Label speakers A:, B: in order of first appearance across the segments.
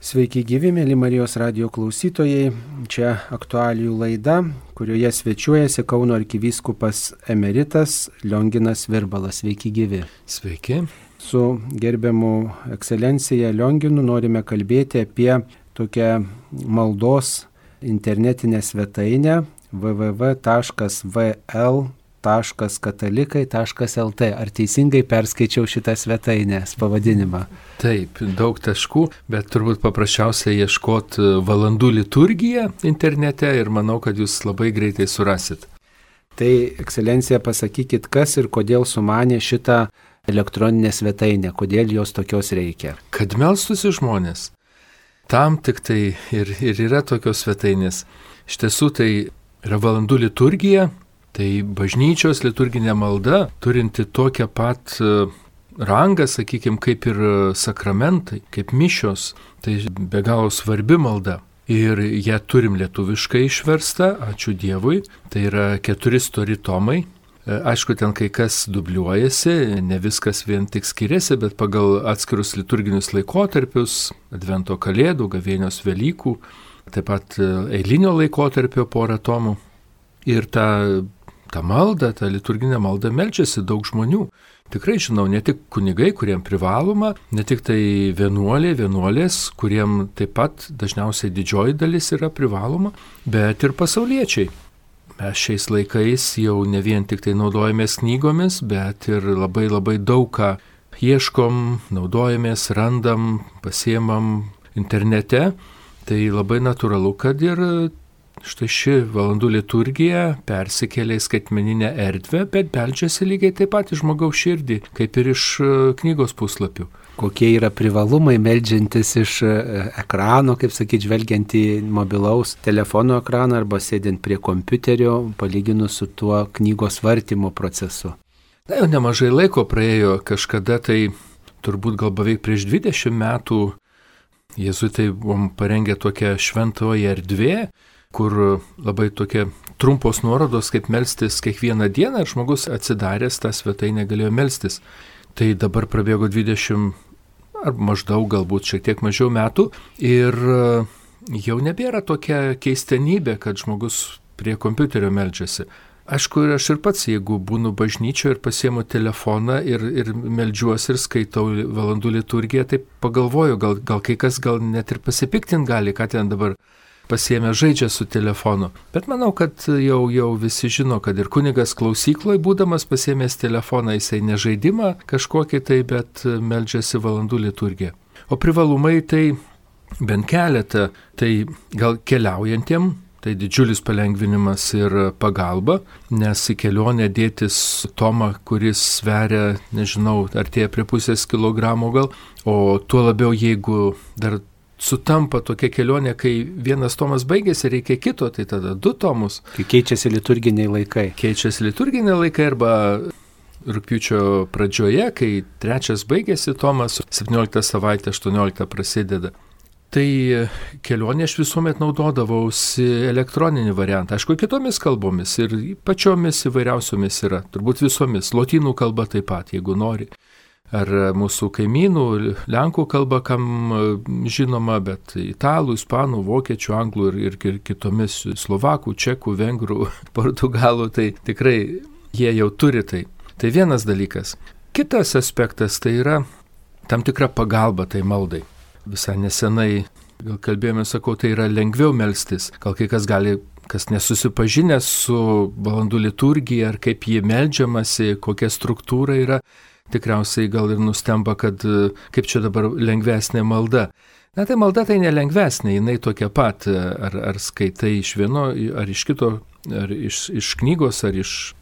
A: Sveiki gyvi, mėly Marijos radijo klausytojai. Čia aktualijų laida, kurioje svečiuojasi Kauno arkivyskupas emeritas Lionginas Virbalas. Sveiki gyvi.
B: Sveiki.
A: Su gerbiamu ekscelencija Lionginu norime kalbėti apie tokią maldos internetinę svetainę www.vl.katalikai.lt. Ar teisingai perskaičiau šitą svetainės pavadinimą?
B: Taip, daug taškų, bet turbūt paprasčiausia ieškoti valandų liturgiją internete ir manau, kad jūs labai greitai surasit.
A: Tai, ekscelencija, pasakykit, kas ir kodėl sumanė šitą elektroninę svetainę, kodėl jos tokios reikia?
B: Kad melstųsi žmonės. Tam tik tai ir yra tokios svetainės. Iš tiesų tai yra valandų liturgija, tai bažnyčios liturginė malda, turinti tokią pat rangą, sakykime, kaip ir sakramentai, kaip mišios, tai be galo svarbi malda. Ir ją turim lietuviškai išverstą, ačiū Dievui, tai yra 4 stori tomai. Aišku, ten kai kas dubliuojasi, ne viskas vien tik skiriasi, bet pagal atskirus liturginius laikotarpius, Advento kalėdų, gavėnios Velykų, taip pat eilinio laikotarpio porą tomų. Ir ta malda, ta liturginė malda meldžiasi daug žmonių. Tikrai žinau, ne tik kunigai, kuriem privaloma, ne tik tai vienuolės, kuriem taip pat dažniausiai didžioji dalis yra privaloma, bet ir pasauliečiai. Mes šiais laikais jau ne vien tik tai naudojamės knygomis, bet ir labai daug ką ieškom, naudojamės, randam, pasiemam internete. Tai labai natūralu, kad ir štai ši valandų liturgija persikėlė į skaitmeninę erdvę, bet beldžiasi lygiai taip pat iš žmogaus širdį, kaip ir iš knygos puslapių.
A: Kokie yra privalumai meldžiantis iš ekrano, kaip sakyti, žvelgiant į mobilaus telefono ekraną arba sėdint prie kompiuterio, palyginus su tuo knygos vartymo procesu?
B: Na, jau nemažai laiko praėjo, kažkada tai turbūt gal beveik prieš 20 metų jėzuitai buvom parengę tokią šventoji erdvė, kur labai tokie trumpos nuorodos, kaip melstis kiekvieną dieną, ir žmogus atsidaręs tą svetainę galėjo melstis. Tai dabar prabėgo 20 ar maždaug galbūt šiek tiek mažiau metų ir jau nebėra tokia keistenybė, kad žmogus prie kompiuterio meldžiasi. Aišku, ir aš ir pats, jeigu būnu bažnyčioje ir pasiemu telefoną ir meldžiuosi ir skaitau valandų liturgiją, tai pagalvoju, gal kai kas gal net ir pasipiktint gali, ką ten dabar pasiėmė žaidžia su telefonu. Bet manau, kad jau visi žino, kad ir kunigas klausykloje būdamas pasiėmęs telefoną, jisai ne žaidimą kažkokį tai, bet meldžiasi valandų liturgiją. O privalumai tai bent keletą, tai gal keliaujantiem, tai didžiulis palengvinimas ir pagalba, nes į kelionę dėtis tomą, kuris sveria, nežinau, artėja prie pusės kilogramo gal, o tuo labiau jeigu dar sutampa tokia kelionė, kai vienas tomas baigėsi, reikia kito, tai tada 2 tomus.
A: Kai keičiasi liturginiai laikai.
B: Keičiasi liturginiai laikai arba rugpjūčio pradžioje, kai 3 baigėsi tomas, 17 savaitė, 18 prasideda. Tai kelionė aš visuomet naudodavausi elektroninį variantą. Aišku, kitomis kalbomis ir pačiomis įvairiausiomis yra, turbūt visomis. Lotynų kalba taip pat, jeigu nori. Ar mūsų kaimynų, lenkų kalba, kam žinoma, bet italų, ispanų, vokiečių, anglų ir kitomis, slovakų, čekų, vengrų, portugalų, tai tikrai jie jau turi tai. Tai vienas dalykas. Kitas aspektas tai yra tam tikra pagalba tai maldai. Visai nesenai, gal kalbėjome, sakau, tai yra lengviau melstis. Gal kai kas gali, kas nesusipažinęs su valandų liturgija, ar kaip jį meldžiamasi, kokia struktūra yra, tikriausiai gal ir nustemba, kad kaip čia dabar lengvesnė malda. Na tai malda tai nelengvesnė, jinai tokia pat, ar skaitai iš vieno, ar iš kito, ar iš knygos, ar iš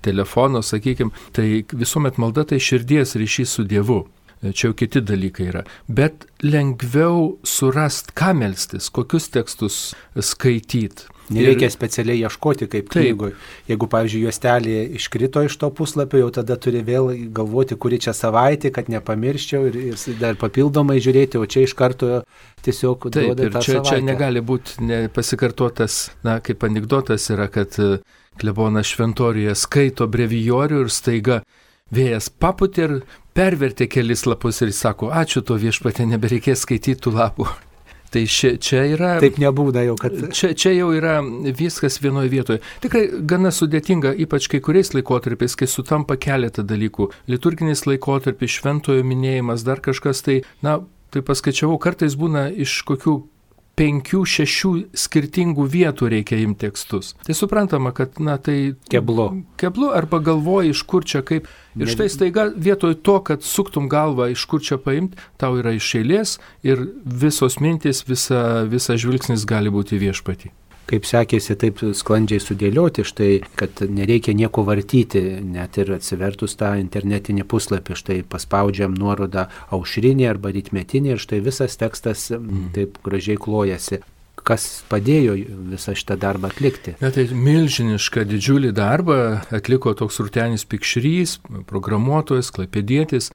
B: telefono, sakykime. Tai visuomet malda tai širdies ryšys su Dievu. Čia jau kiti dalykai yra. Bet lengviau surast, ką melstis, kokius tekstus skaityti.
A: Nereikia specialiai ieškoti kaip knygoje. Jeigu, pavyzdžiui, juostelė iškrito iš to puslapio, jau tada turi vėl galvoti, kuri čia savaitė, kad nepamirščiau ir dar papildomai žiūrėti, o čia iš karto tiesiog duoda tą savaitę. Čia
B: negali būti pasikartotas, kaip anekdotas yra, kad klebonas šventoriuje skaito brevijorių ir staiga vėjas papūtė ir pervertė kelis lapus ir jis sako, ačiū to viešpatie, nebereikės skaityti tų lapų. Tai čia yra...
A: Taip nebūna jau, kad...
B: Čia jau yra viskas vienoje vietoje. Tikrai gana sudėtinga, ypač kai kuriais laikotarpiais, kai sutampa keletą dalykų. Liturginis laikotarpis, šventojo minėjimas, dar kažkas tai, tai paskaičiavau, kartais būna iš kokių 5-6 skirtingų vietų reikia imti tekstus. Tai suprantama, kad, tai... Keblu arba galvoji, iš kur čia kaip. Ir štai staiga vietoj to, kad suktum galvą, iš kur čia paimti, tau yra iš eilės ir visos mintys, visa žvilgsnis gali būti viešpatį.
A: Kaip sekėsi taip sklandžiai sudėlioti, štai, kad nereikia nieko vartyti, net ir atsivertus tą internetinį puslapį, štai paspaudžiam nuorodą aušrinį arba rytmetinį ir štai visas tekstas taip gražiai klojasi. Kas padėjo visą šitą darbą atlikti?
B: Tai milžinišką didžiulį darbą atliko toks Rūtenis Pikšrys, programuotojas, klaipėdietis.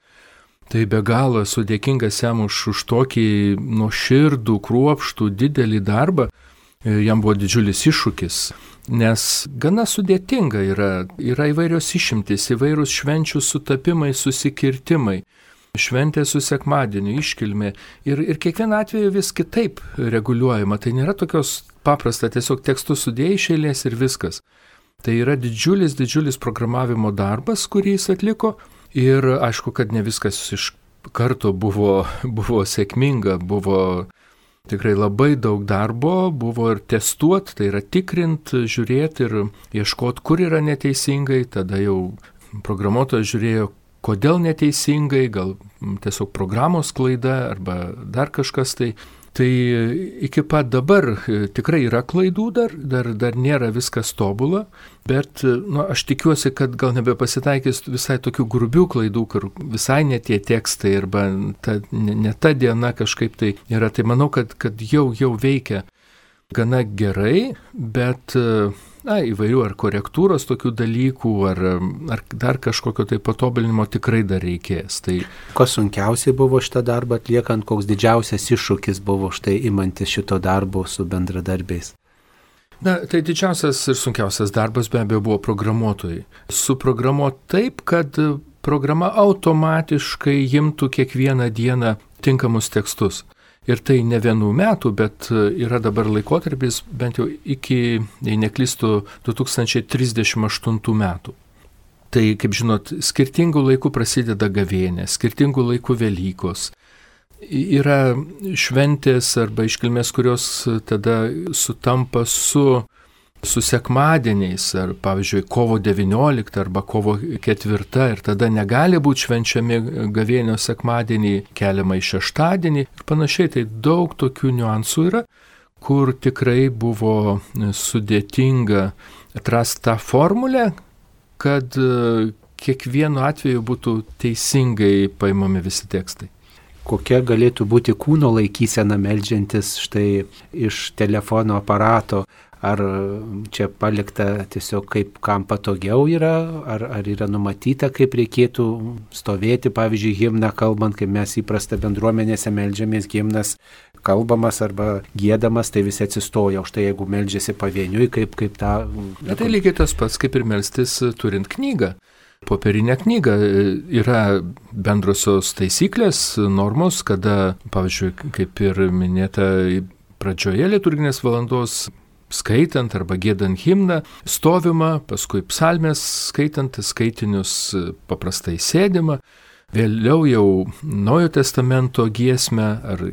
B: Tai be galo esu dėkingas jam už tokį nuoširdų, kruopštų, didelį darbą. Jam buvo didžiulis iššūkis, nes gana sudėtinga yra įvairios išimtys, įvairūs švenčių sutapimai, susikirtimai, šventė su sekmadieniu, iškilmė ir kiekvieną atveju vis kitaip reguliuojama. Tai nėra tokios paprasta, tiesiog tekstus sudėjai iš eilės ir viskas. Tai yra didžiulis programavimo darbas, kurį jis atliko ir aišku, kad ne viskas iš karto buvo sėkminga, buvo tikrai labai daug darbo, buvo ir testuot, tai yra tikrint, žiūrėti ir ieškoti, kur yra neteisingai, tada jau programuotojas žiūrėjo, kodėl neteisingai, gal tiesiog programos klaida arba dar kažkas tai. Tai iki pat dabar tikrai yra klaidų, dar nėra viskas tobula, bet aš tikiuosi, kad gal nebepasitaikys visai tokių grubių klaidų, kur visai ne tie tekstai arba ne ta diena kažkaip tai yra. Tai manau, kad jau veikia gana gerai, bet įvairių ar korektūros tokių dalykų, ar dar kažkokio tai patobulinimo tikrai dar reikės. Tai...
A: Kas sunkiausiai buvo šitą darbą atliekant, koks didžiausias iššūkis buvo štai imantis šito darbo su bendradarbiais?
B: Tai didžiausias ir sunkiausias darbas be abejo buvo programuotojai. Suprogramuoti taip, kad programa automatiškai imtų kiekvieną dieną tinkamus tekstus. Ir tai ne 1 metų, bet yra dabar laikotarpis bent jau iki, jei neklystu, 2038 metų. Tai, kaip žinot, skirtingų laikų prasideda gavėnė, skirtingų laikų Velykos. Yra šventės arba iškilmės, kurios tada sutampa su sekmadieniais, ar pavyzdžiui kovo 19 arba kovo 4 ir tada negali būti švenčiami gavėnios sekmadienį, keliama į šeštadienį ir panašiai. Tai daug tokių niuansų yra, kur tikrai buvo sudėtinga atrasti tą formulę, kad kiekvienu atveju būtų teisingai paimami visi tekstai.
A: Kokia galėtų būti kūno laikysena meldžiantis štai iš telefono aparato? Ar čia palikta tiesiog kaip kam patogiau yra, ar yra numatyta, kaip reikėtų stovėti, pavyzdžiui, himną kalbant, kaip mes įprasta bendruomenėse meldžiamės, himnas kalbamas arba giedamas, tai visi atsistoja, už tai jeigu meldžiasi pavieniui, kaip tą...
B: Tai lygiai tas pats, kaip ir melstis turint knygą. Popierinė knyga yra bendrosios taisyklės, normos, kada, pavyzdžiui, kaip ir minėta pradžioje liturginės valandos, skaitant arba giedant himną, stovima, paskui psalmės skaitant, skaitinius paprastai sėdima, vėliau jau Naujojo testamento giesmę ar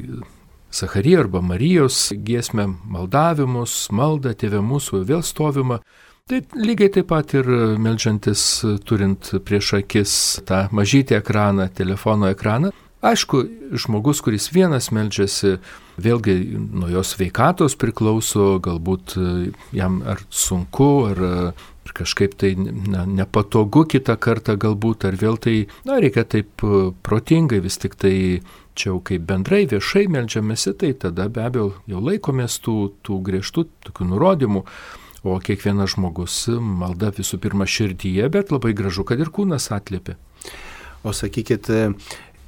B: Zacharijo arba Marijos giesmę, maldavimus, maldą, Tėve mūsų, vėl stovima. Tai lygiai taip pat ir meldžiantis turint prieš akis tą mažytį ekraną, telefono ekraną. Aišku, žmogus, kuris vienas meldžiasi, vėlgi nuo jos sveikatos priklauso, galbūt jam ar sunku, ar kažkaip tai nepatogu kitą kartą galbūt, ar vėl tai, reikia taip protingai, vis tik tai čia jau kaip bendrai viešai meldžiamėsi, tai tada be abejo jau laikomės tų griežtų tokių nurodymų, o kiekvienas žmogus malda visų pirma širdyje, bet labai gražu, kad ir kūnas atliepia.
A: O sakykit,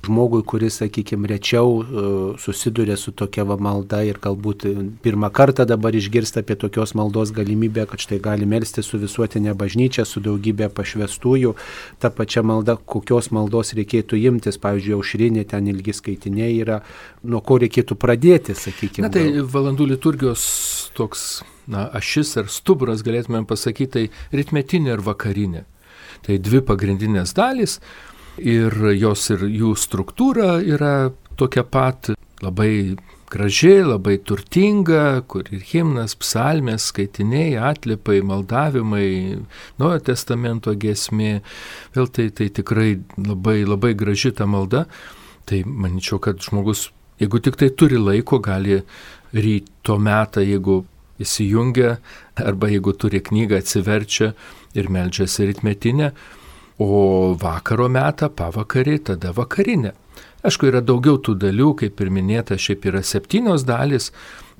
A: žmogui, kuris, sakykime, rečiau susiduria su tokia malda ir galbūt pirmą kartą dabar išgirsta apie tokios maldos galimybę, kad štai gali melstis su visuotinė bažnyčia, su daugybė pašvestųjų, ta pačia malda, kokios maldos reikėtų imtis, pavyzdžiui, aušrinė, ten ilgi skaitiniai yra, nuo ko reikėtų pradėti, sakykime.
B: Na tai valandų liturgijos toks, ašis ar stuburas, galėtume pasakyti, tai rytmetinė ir vakarinė. Tai dvi pagrindinės dalys. Ir jos ir jų struktūra yra tokia pat, labai graži, labai turtinga, kur ir himnas, psalmės, skaitiniai, atlipai, maldavimai, Naujojo testamento giesmė, vėl tai tikrai labai, labai graži ta malda. Tai manyčiau, kad žmogus, jeigu tik tai turi laiko, gali ryto metą, jeigu įsijungia, arba jeigu turi knygą, atsiverčia ir meldžiasi rytmetinę, o vakaro metą, pavakarį, tada vakarinę. Aišku, yra daugiau tų dalių, kaip ir minėta, šiaip yra 7 dalys,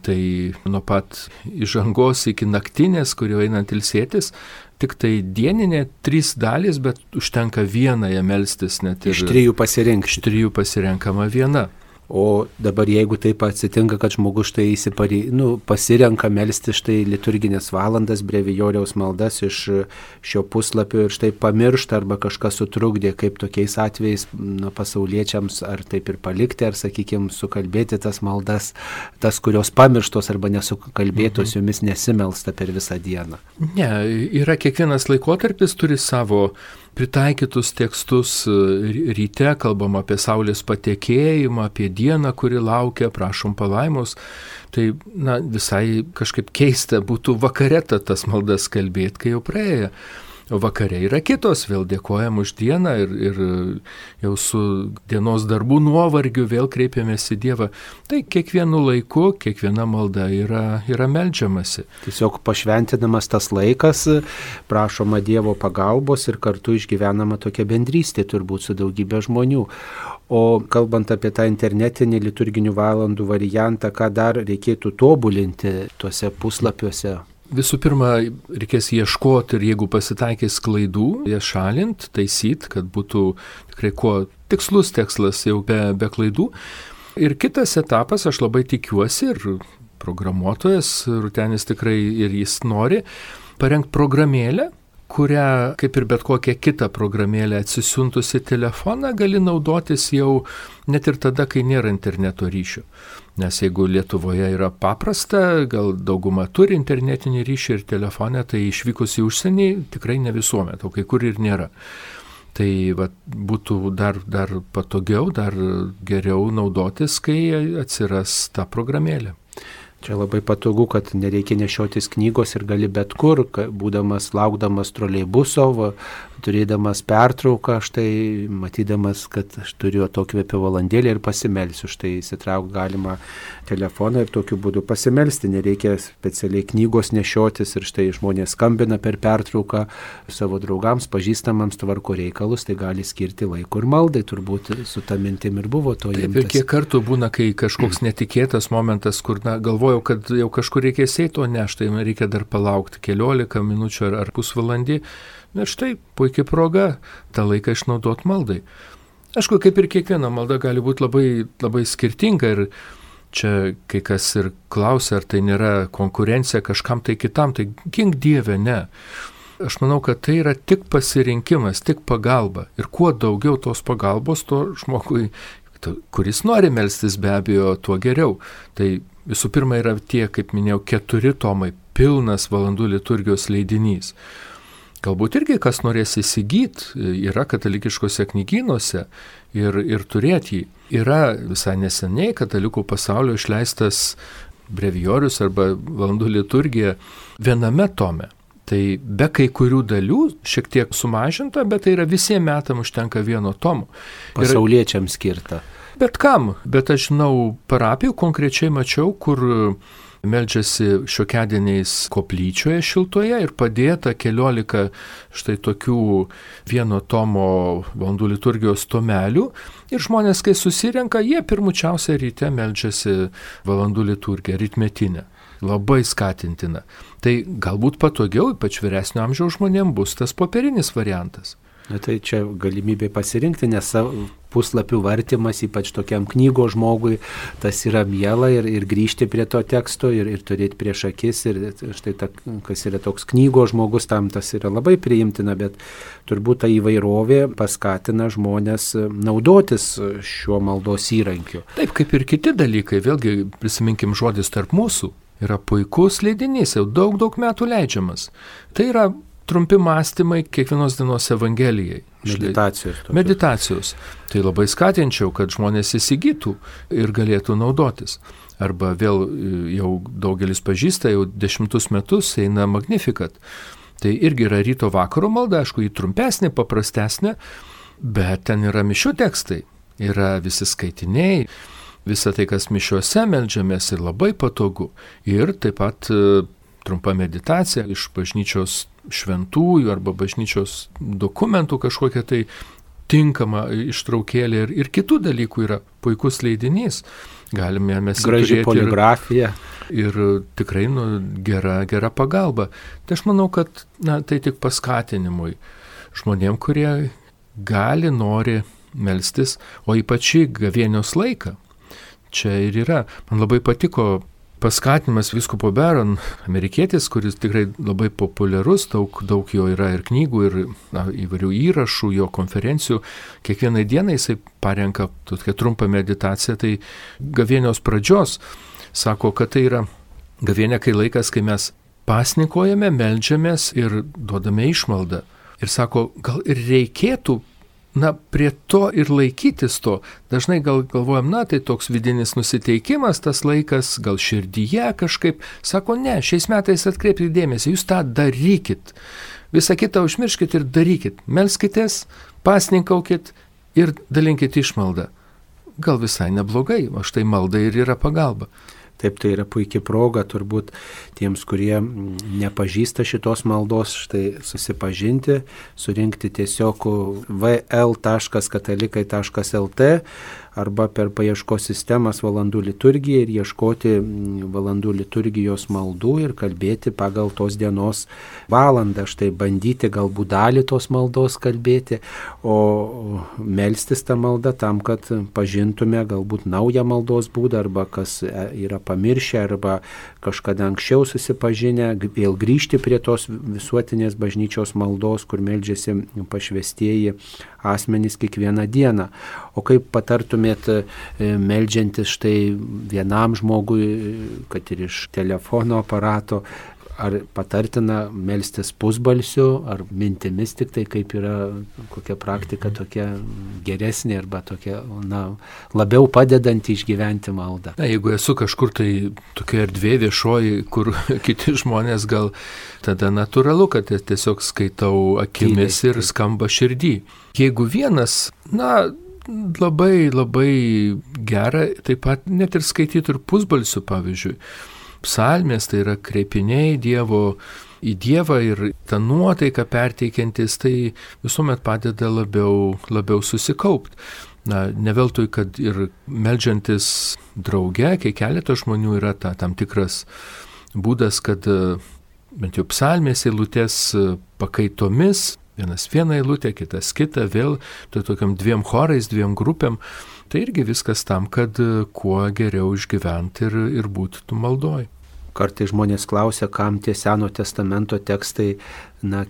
B: tai nuo pat įžangos iki naktinės, kurio einant ilsėtis, tik tai dieninė 3 dalys, bet užtenka vienąją melstis net ir...
A: Iš 3 pasirinkti.
B: Iš 3 pasirenkama viena.
A: O dabar jeigu taip atsitinka, kad žmogus štai pasirenka melsti štai liturginės valandas, brevijoriaus maldas iš šio puslapio ir štai pamiršta arba kažkas sutrukdė, kaip tokiais atvejais pasauliečiams ar taip ir palikti, ar, sakykime, sukalbėti tas maldas, tas, kurios pamirštos arba nesukalbėtos, jomis nesimelsta per visą dieną.
B: Ne, yra kiekvienas laikotarpis turi savo pritaikytus tekstus. Ryte kalbam apie saulės patekėjimą, apie dieną, kuri laukia, prašom palaimos. Tai visai kažkaip keista būtų vakare tas maldas kalbėti, kai jau praėjo. O vakare yra kitos, vėl dėkojam už dieną ir jau su dienos darbų nuovargiu vėl kreipiamės į Dievą. Tai kiekvienu laiku, kiekviena malda yra meldžiamasi.
A: Tiesiog pašventinamas tas laikas, prašoma Dievo pagalbos ir kartu išgyvenama tokia bendrystė turbūt su daugybė žmonių. O kalbant apie tą internetinį liturginių valandų variantą, ką dar reikėtų tobulinti tuose puslapiuose?
B: Visų pirma, reikės ieškoti ir jeigu pasitaikys klaidų, jas šalint, taisyt, kad būtų tikrai kuo tikslus tekstas jau be klaidų. Ir kitas etapas, aš labai tikiuosi, ir programuotojas Rūtenis tikrai ir jis nori parengti programėlę, kurią, kaip ir bet kokią kitą programėlę atsisiuntusi telefoną, gali naudotis jau net ir tada, kai nėra interneto ryšio. Nes jeigu Lietuvoje yra paprasta, gal dauguma turi internetinį ryšį ir telefoną, tai išvykus į užsienį tikrai ne visuomet, o kai kur ir nėra. Tai būtų dar patogiau, dar geriau naudotis, kai atsiras ta programėlė.
A: Čia labai patogu, kad nereikia nešiotis knygos ir gali bet kur, būdamas, laukdamas troleibuso, turėdamas pertrauką, štai matydamas, kad aš turiu atokvėpio valandėlį ir pasimelsiu, štai įsitraukti galima telefoną ir tokiu būdu pasimelsti, nereikia specialiai knygos nešiotis ir štai žmonės skambina per pertrauką savo draugams, pažįstamams, tvarko reikalus, tai gali skirti laiko ir maldai, turbūt su ta mintim ir buvo to imtas.
B: Ir kiek kartų būna, kai kažkoks netikėtas momentas, kur galvojau, kad jau kažkur reikės eiti, o ne, štai reikia dar palaukti 15 minučių ar pusvalandį. Na štai, puikia proga tą laiką išnaudoti maldai. Aišku, kaip ir kiekviena malda gali būti labai, labai skirtinga ir čia kai kas ir klausia, ar tai nėra konkurencija kažkam tai kitam, tai gink Dieve, ne. Aš manau, kad tai yra tik pasirinkimas, tik pagalba. Ir kuo daugiau tos pagalbos, to žmogui, kuris nori melstis, be abejo, tuo geriau. Tai visų pirma yra tie, kaip minėjau, 4 tomai, pilnas valandų liturgijos leidinys. Galbūt irgi kas norės įsigyti, yra katalikiškose knygynuose ir turėti jį. Yra visai neseniai katalikų pasaulio išleistas brevijorius arba valandų liturgija viename tome. Tai be kai kurių dalių šiek tiek sumažinta, bet tai yra visiems metam užtenka vieno tomo.
A: Pasauliečiams skirta.
B: Bet kam? Bet aš žinau, parapijų konkrečiai mačiau, kur meldžiasi šiokiadieniais koplyčioje šiltoje ir padėta 14 štai tokių vieno tomo valandų liturgijos tomelių. Ir žmonės, kai susirenka, jie pirmučiausia ryte meldžiasi valandų liturgiją, rytmetinę. Labai skatintina. Tai galbūt patogiau, ypač vyresnio amžiaus žmonėms, bus tas popierinis variantas.
A: Na tai čia galimybė pasirinkti, nes puslapių vartymas, ypač tokiam knygo žmogui, tas yra miela ir grįžti prie to teksto ir turėti prieš akis. Ir štai kas yra toks knygo žmogus, tam tas yra labai priimtina, bet turbūt ta įvairovė paskatina žmonės naudotis šiuo maldos įrankiu.
B: Taip, kaip ir kiti dalykai, vėlgi prisiminkim žodis tarp mūsų. Yra puikus leidinys, jau daug metų leidžiamas. Tai yra trumpi mąstymai kiekvienos dienos Evangelijai. Meditacijos. Tai labai skatinčiau, kad žmonės įsigytų ir galėtų naudotis. Arba vėl jau daugelis pažįsta, jau 10 metus eina Magnificat. Tai irgi yra ryto vakaro malda, aišku, jį trumpesnė, paprastesnė, bet ten yra mišių tekstai, yra visi skaitiniai, visa tai, kas mišiuose meldžiamės, ir labai patogu. Ir taip pat trumpa meditacija iš bažnyčios šventųjų arba bažnyčios dokumentų kažkokia tai tinkama ištraukėlė ir kitų dalykų yra puikus leidinys. Galime mes
A: graži poligrafija.
B: Ir tikrai gera pagalba. Tai aš manau, kad tai tik paskatinimui žmonėm, kurie nori melstis, o ypač į gavėnios laiką. Čia ir yra. Man labai patiko paskatinimas vyskupo Barron, amerikietis, kuris tikrai labai populiarus, daug jo yra ir knygų, ir įvairių įrašų, jo konferencijų. Kiekvienai dienai jisai parenka tokią trumpą meditaciją, tai gavėnios pradžios sako, kad tai yra gavėnė, kai laikas, kai mes pasninkojame, meldžiamės ir duodame išmaldą. Ir sako, gal ir reikėtų prie to ir laikytis to. Dažnai galvojam, tai toks vidinis nusiteikimas, tas laikas, gal širdyje kažkaip. Sako, ne, šiais metais atkreipkite dėmesį, jūs tą darykit. Visą kitą užmirškit ir darykit. Melskitės, pasninkaukit ir dalinkit išmaldą. Gal visai neblogai, o štai malda ir yra pagalba.
A: Taip, tai yra puikia proga turbūt tiems, kurie nepažįsta šitos maldos, štai susipažinti, surinkti tiesiog vl.katalikai.lt arba per paieškos sistemas valandų liturgija ir ieškoti valandų liturgijos maldų ir kalbėti pagal tos dienos valandą. Štai bandyti galbūt dalį tos maldos kalbėti, o melstis tą maldą tam, kad pažintume galbūt naują maldos būdą arba kas yra pamiršę arba kažkada anksčiau susipažinę, vėl grįžti prie tos visuotinės bažnyčios maldos, kur meldžiasi pašvestieji asmenys kiekvieną dieną. O kaip patartumėt meldžiantis štai vienam žmogui, kad ir iš telefono aparato, ar patartina melstis pusbalsiu, ar mintimis tik tai, kaip yra kokia praktika tokia geresnė arba tokia, labiau padedanti išgyventi maldą.
B: Jeigu esu kažkur tai tokia erdvė viešoji, kur kiti žmonės, gal tada natūralu, kad tiesiog skaitau akimis ir skamba širdį. Jeigu vienas, labai gera, taip pat net ir skaityti ir pusbalsiu, pavyzdžiui. Psalmės, tai yra kreipiniai į Dievą ir tą nuotaiką perteikiantis, tai visuomet padeda labiau susikaupti. Ne veltui, kad ir meldžiantis drauge, kai keletas žmonių yra tam tikras būdas, kad bent jau psalmės eilutės pakaitomis, vienas vieną eilutę, kitas kitą, vėl tokiam 2 chorais, 2 grupėm. Tai irgi viskas tam, kad kuo geriau išgyventi ir būti tu maldoj.
A: Kartais žmonės klausia, kam tie Seno testamento tekstai,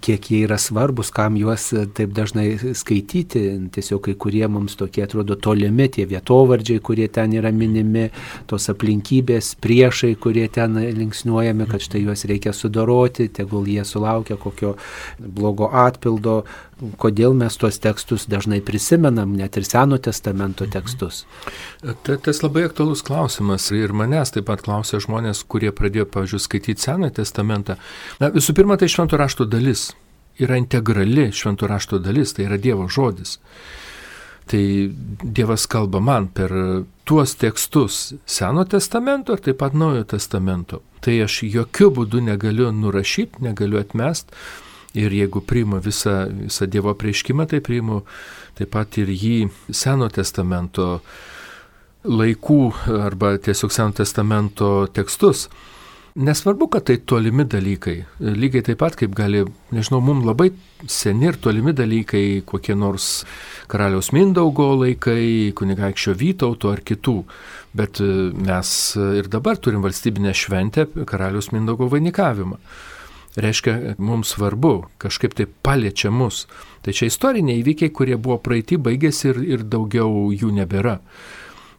A: kiek jie yra svarbus, kam juos taip dažnai skaityti. Tiesiog kai kurie mums tokie atrodo tolimi, tie vietovardžiai, kurie ten yra minimi, tos aplinkybės, priešai, kurie ten linksniuojami, kad štai juos reikia sudoroti, tegul jie sulaukia kokio blogo atpildo. Kodėl mes tuos tekstus dažnai prisimenam, net ir Seno testamento tekstus?
B: Tas labai aktualus klausimas ir manęs taip pat klausia žmonės, kurie pradėjo, pavyzdžiui, skaityti Seną testamentą. Visų pirma, tai švento rašto dalis. Yra integrali švento rašto dalis, tai yra Dievo žodis. Tai Dievas kalba man per tuos tekstus Seno testamento ir taip pat Naujojo testamento. Tai aš jokių būdų negaliu nurašyti, negaliu atmesti. Ir jeigu priimu visą Dievo apreiškimą, tai priimu taip pat ir jį Seno testamento laikų arba tiesiog Seno testamento tekstus. Nesvarbu, kad tai tolimi dalykai. Lygiai taip pat, kaip gali, nežinau, mums labai seni ir tolimi dalykai, kokie nors karaliaus Mindaugo laikai, kunigaikščio Vytauto ar kitų. Bet mes ir dabar turim valstybinę šventę karaliaus Mindaugo vainikavimą. Reiškia, mums svarbu, kažkaip tai paliečia mus. Tai čia istoriniai įvykiai, kurie buvo praeiti, baigėsi ir daugiau jų nebėra.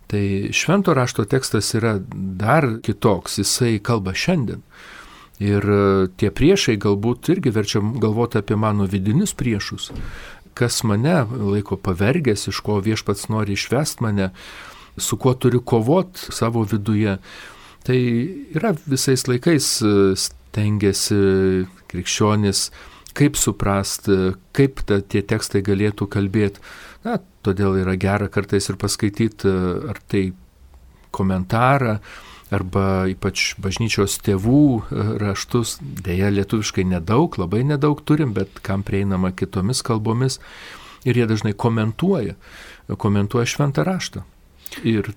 B: Tai švento rašto tekstas yra dar kitoks, jisai kalba šiandien. Ir tie priešai galbūt irgi verčia galvoti apie mano vidinius priešus. Kas mane laiko pavergęs, iš ko viešpats nori išvest mane, su kuo turiu kovot savo viduje. Tai yra visais laikais stengiasi krikščionis, kaip suprast, kaip tie tekstai galėtų kalbėti. Na, todėl yra gera kartais ir paskaityti ar tai komentarą, arba ypač bažnyčios tėvų raštus. Deja, lietuviškai nedaug, labai nedaug turim, bet kam prieinama kitomis kalbomis. Ir jie dažnai komentuoja šventą raštą. Ir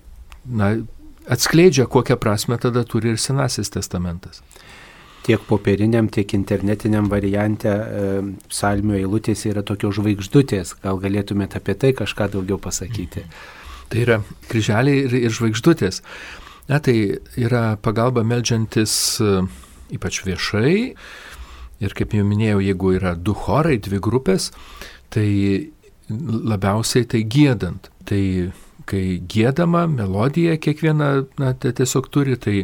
B: atskleidžia, kokią prasmę tada turi ir Senasis testamentas.
A: Tiek popieriniam, tiek internetiniam variante psalmių eilutės yra tokios žvaigždutės. Gal galėtumėte apie tai kažką daugiau pasakyti?
B: Tai yra kryželiai ir žvaigždutės. Tai yra pagalba meldžiantis ypač viešai. Ir kaip jau minėjau, jeigu yra 2 chorai, 2 grupės, tai labiausiai tai giedant. Tai kai giedama melodija kiekviena tiesiog turi, tai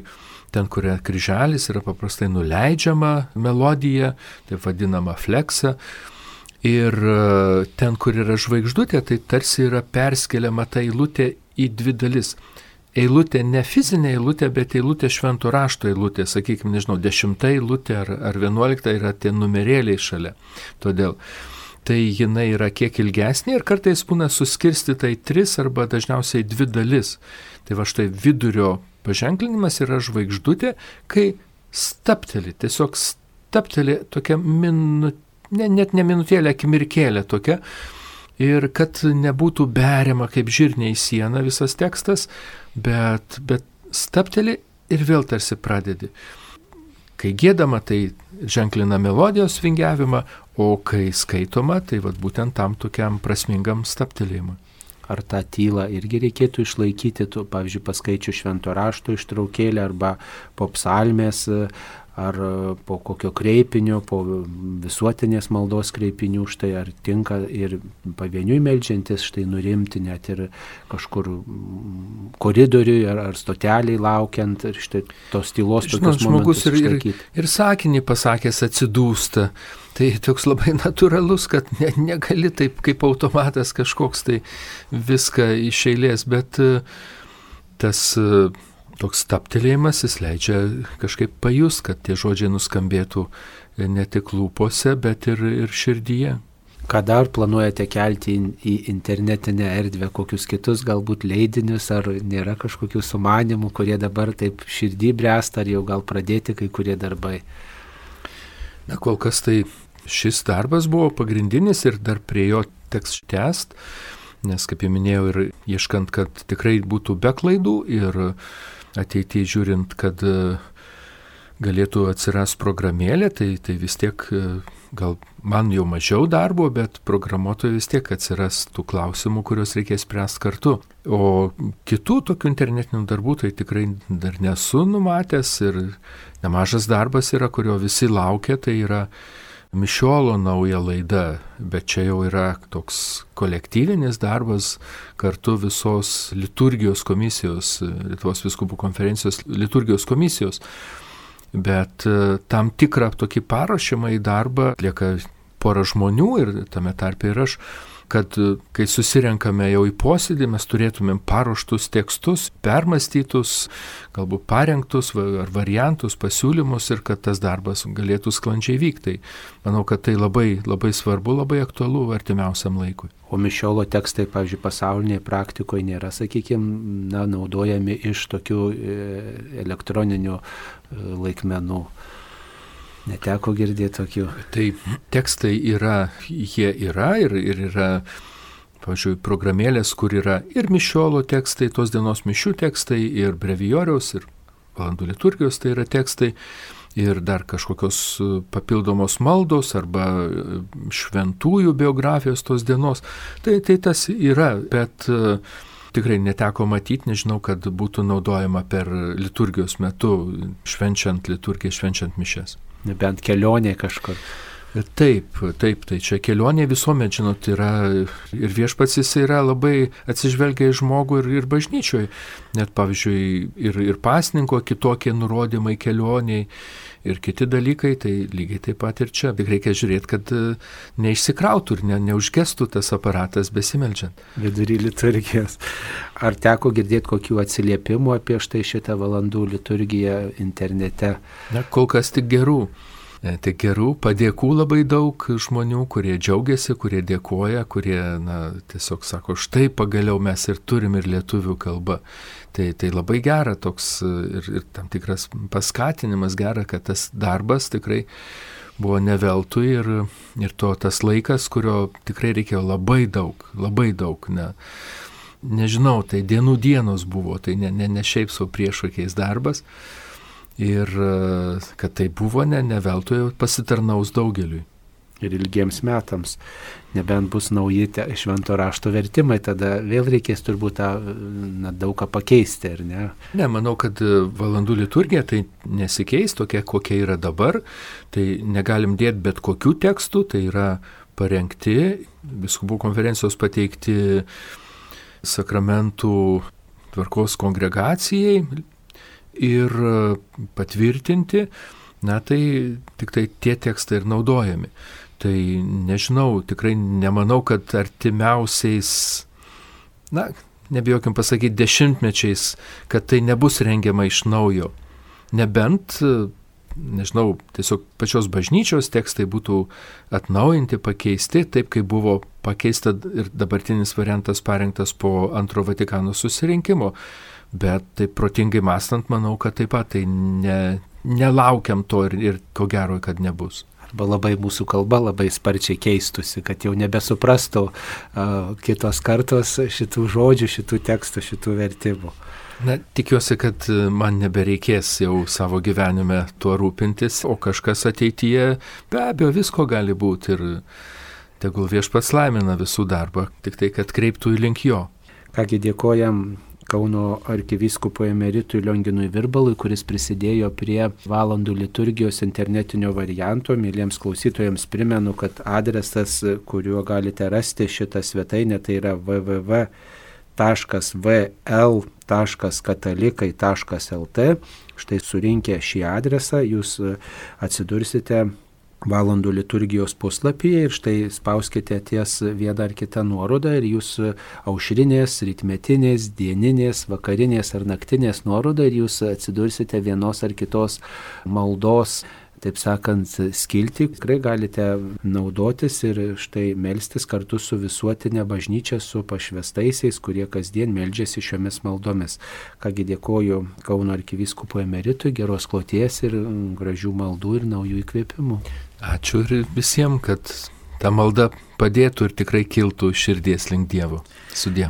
B: ten, kur kryželis, yra paprastai nuleidžiama melodija, taip vadinama fleksa. Ir ten, kur yra žvaigždutė, tai tarsi yra perskeliama ta eilutė į 2 dalis. Eilutė ne fizinė eilutė, bet eilutė švento rašto eilutė, sakykime, 10 eilutė ar 11 yra tie numerėliai šalia. Todėl tai jinai yra kiek ilgesnė ir kartais būna suskirstyta į 3 arba dažniausiai 2 dalis. Tai va štai vidurio paženklinimas yra žvaigždutė, kai stapteli, tiesiog stapteli tokia net ne minutėlė, akimirkėlė tokia. Ir kad nebūtų beriama kaip žirnė į sieną visas tekstas, bet stapteli ir vėl tarsi pradedi. Kai giedama, tai ženklina melodijos vingiavimą, o kai skaitoma, tai vat būtent tam tokiam prasmingam staptelėjimui.
A: Ar tą tylą irgi reikėtų išlaikyti, pavyzdžiui, paskaičių švento rašto ištraukėlę arba po psalmės, ar po kokio kreipinio, po visuotinės maldos kreipinių, štai ar tinka ir pavieniui meldžiantis, štai nurimti net ir kažkur koridoriui ar stoteliai laukiant, ir štai tos tylos tokius momentus išlaikyti.
B: Ir sakinį pasakęs atsidūsta. Tai toks labai natūralus, kad negali taip kaip automatas kažkoks tai viską iš eilės, bet tas toks staptelėjimas jis leidžia kažkaip pajust, kad tie žodžiai nuskambėtų ne tik lūpose, bet ir širdyje.
A: Ką dar planuojate kelti į internetinę erdvę, kokius kitus galbūt leidinius, ar nėra kažkokių sumanimų, kurie dabar taip širdį bręsta, ar jau gal pradėti kai kurie darbai?
B: Na, kol kas tai šis darbas buvo pagrindinis ir dar prie jo teks tęst, nes, kaip jau minėjau, ir ieškant, kad tikrai būtų be klaidų ir ateityje žiūrint, kad galėtų atsiras programėlė, tai vis tiek gal man jau mažiau darbo, bet programuotojai vis tiek atsiras tų klausimų, kuriuos reikės spręsti kartu. O kitų tokių internetinių darbų tai tikrai dar nesu numatęs ir nemažas darbas yra, kurio visi laukia, tai yra mišiolo nauja laida, bet čia jau yra toks kolektyvinis darbas kartu visos liturgijos komisijos, Lietuvos vyskupų konferencijos liturgijos komisijos. Bet tam tikrą tokį paruošimą į darbą atlieka pora žmonių ir tame tarpe ir aš, kad kai susirenkame jau į posėdį, mes turėtumėm paruoštus tekstus, permąstytus, galbūt parengtus ar variantus, pasiūlymus ir kad tas darbas galėtų sklandžiai vykti. Manau, kad tai labai, labai svarbu, labai aktualu artimiausiam laikui.
A: O mišiolo tekstai, pavyzdžiui, pasaulinėje praktikoje nėra, sakykime, naudojami iš tokių elektroninių laikmenų. Neteko girdėti tokių.
B: Tai tekstai yra, jie yra ir yra, pavyzdžiui, programėlės, kur yra ir mišiolo tekstai, tos dienos mišių tekstai, ir brevijoriaus, ir valandų liturgijos, tai yra tekstai ir dar kažkokios papildomos maldos arba šventųjų biografijos tos dienos. Tai tas yra, bet tikrai neteko matyti, nežinau, kad būtų naudojama per liturgijos metu, švenčiant liturgiją, švenčiant mišias.
A: Nebent kelionė kažkur.
B: Taip, tai čia kelionė visuomet, žinot, yra ir viešpats jis yra labai atsižvelgia į žmogų ir bažnyčioje. Net, pavyzdžiui, ir pasninko kitokie nurodymai kelioniai ir kiti dalykai, tai lygiai taip pat ir čia. Tik reikia žiūrėti, kad neišsikrautų ir neužgestų tas aparatas besimeldžiant.
A: Vidury liturgijos. Ar teko girdėti kokių atsiliepimų apie štai šitą valandų liturgiją internete?
B: Na, kol kas tik gerų. Tik gerų, padėkų labai daug žmonių, kurie džiaugiasi, kurie dėkoja, kurie tiesiog sako, štai pagaliau mes ir turim ir lietuvių kalbą. Tai labai gera toks ir tam tikras paskatinimas gera, kad tas darbas tikrai buvo ne veltui ir tas laikas, kurio tikrai reikėjo labai daug. Nežinau, tai dienos buvo, tai ne šiaip savo priešokiais darbas. Ir kad tai buvo ne veltui pasitarnaus daugeliui.
A: Ir ilgiems metams. Nebent bus nauji švento rašto vertimai, tada vėl reikės turbūt daug ką pakeisti, ar ne?
B: Ne, manau, kad valandų liturgija tai nesikeis tokia, kokia yra dabar. Tai negalim dėti bet kokių tekstų, tai yra parengti, vyskupų konferencijos pateikti sakramentų tvarkos kongregacijai ir patvirtinti, tai tik tai tie tekstai ir naudojami. Tai nežinau, tikrai nemanau, kad artimiausiais, nebijokim pasakyti, dešimtmečiais, kad tai nebus rengiama iš naujo. Nebent, nežinau, tiesiog pačios bažnyčios tekstai būtų atnaujinti, pakeisti, taip kaip buvo pakeista ir dabartinis variantas parengtas po Antro Vatikano susirinkimo. Bet taip protingai mąstant, manau, kad taip pat tai nelaukiam to ir ko gero, kad nebus.
A: Arba labai mūsų kalba labai sparčiai keistusi, kad jau nebesuprastų kitos kartos šitų žodžių, šitų tekstų, šitų vertimų.
B: Tikiuosi, kad man nebereikės jau savo gyvenime tuo rūpintis, o kažkas ateityje be abejo visko gali būti ir tegul viešpats laimina visų darbą, tik tai, kad kreiptų į link jo.
A: Kągi dėkojam Kauno arkivyskupui emeritui Lionginui Virbalui, kuris prisidėjo prie valandų liturgijos internetinio varianto. Mėlyjams klausytojams primenu, kad adresas, kuriuo galite rasti šitą svetainę, tai yra www.vl.katalikai.lt. Štai surinkę šį adresą jūs atsidursite valandų liturgijos puslapyje ir štai spauskite ties vieną ar kitą nuorodą ir jūs aušrinės, rytmetinės, dieninės, vakarinės ar naktinės nuorodą ir jūs atsidursite vienos ar kitos maldos, taip sakant, skiltį. Tikrai galite naudotis ir štai melstis kartu su visuotinė bažnyčia, su pašvestaisiais, kurie kasdien meldžiasi šiomis maldomis. Kągi dėkoju Kauno arkivyskupui emeritui, geros kloties ir gražių maldų ir naujų įkvėpimų.
B: Ačiū ir visiems, kad ta malda padėtų ir tikrai kiltų širdies link Dievo. Sudie.